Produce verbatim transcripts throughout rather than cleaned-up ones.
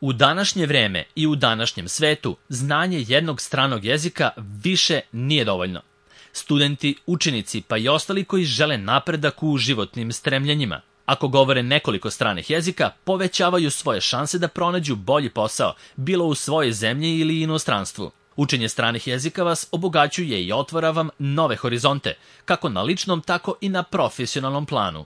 U današnje vreme i u današnjem svetu znanje jednog stranog jezika više nije dovoljno. Studenti, učenici pa i ostali koji žele napredak u životnim stremljenjima, ako govore nekoliko stranih jezika, povećavaju svoje šanse da pronađu bolji posao, bilo u svojoj zemlji ili inostranstvu. Učenje stranih jezika vas obogaćuje i otvara vam nove horizonte, kako na ličnom, tako i na profesionalnom planu.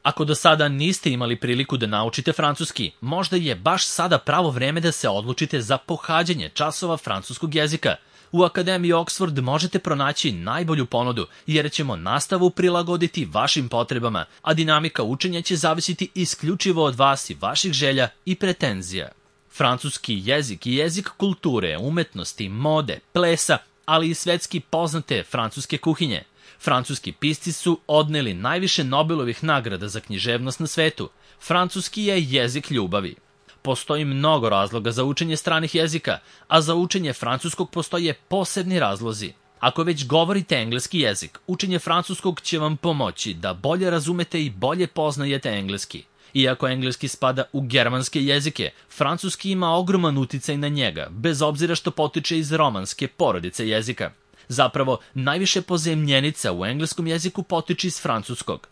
Ako do sada niste imali priliku da naučite francuski, možda je baš sada pravo vreme da se odlučite za pohađanje časova francuskog jezika. U Akademiji Oxford možete pronaći najbolju ponudu, jer ćemo nastavu prilagoditi vašim potrebama, a dinamika učenja će zavisiti isključivo od vas i vaših želja i pretenzija. Francuski jezik i jezik kulture, umetnosti, mode, plesa, ali i svetski poznate francuske kuhinje. Francuski pisci su odneli najviše Nobelovih nagrada za književnost na svetu. Francuski je jezik ljubavi. Postoji mnogo razloga za učenje stranih jezika, a za učenje francuskog postoje posebni razlozi. Ako već govorite engleski jezik, učenje francuskog će vam pomoći da bolje razumete i bolje poznajete engleski. Iako engleski spada u germanske jezike, francuski ima ogroman uticaj na njega, bez obzira što potiče iz romanske porodice jezika. Zapravo, najviše pozemljenica u engleskom jeziku potiče iz francuskog.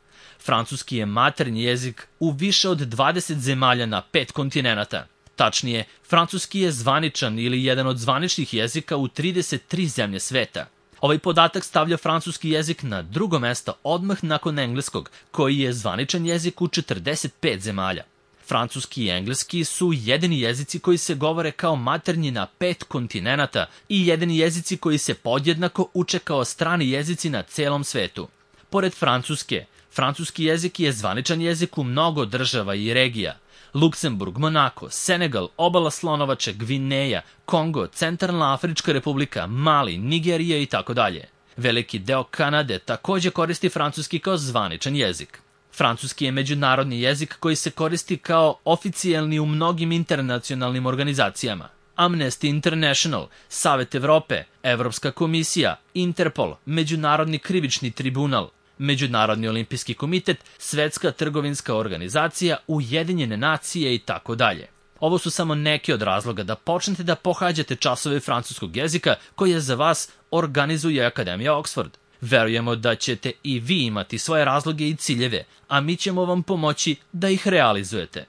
Francuski je maternji jezik u više od dvadeset zemalja na pet kontinenata. Tačnije, francuski je zvaničan ili jedan od zvaničnih jezika u trideset tri zemlje sveta. Ovaj podatak stavlja francuski jezik na drugo mesto odmah nakon engleskog, koji je zvaničan jezik u četrdeset pet zemalja. Francuski i engleski su jedini jezici koji se govore kao maternji na pet kontinenata i jedini jezici koji se podjednako uče kao strani jezici na celom svetu. Pored francuske, francuski jezik je zvaničan jezik u mnogo država i regija. Luksemburg, Monako, Senegal, Obala Slonovače, Gvineja, Kongo, Centralna Afrička republika, Mali, Nigerija i tako dalje. Veliki deo Kanade također koristi francuski kao zvaničan jezik. Francuski je međunarodni jezik koji se koristi kao oficijelni u mnogim internacionalnim organizacijama. Amnesty International, Savet Evrope, Evropska komisija, Interpol, Međunarodni krivični tribunal, Međunarodni olimpijski komitet, Svetska trgovinska organizacija, Ujedinjene nacije i tako dalje. Ovo su samo neki od razloga da počnete da pohađate časove francuskog jezika koje za vas organizuje Akademija Oxford. Verujemo da ćete i vi imati svoje razloge i ciljeve, a mi ćemo vam pomoći da ih realizujete.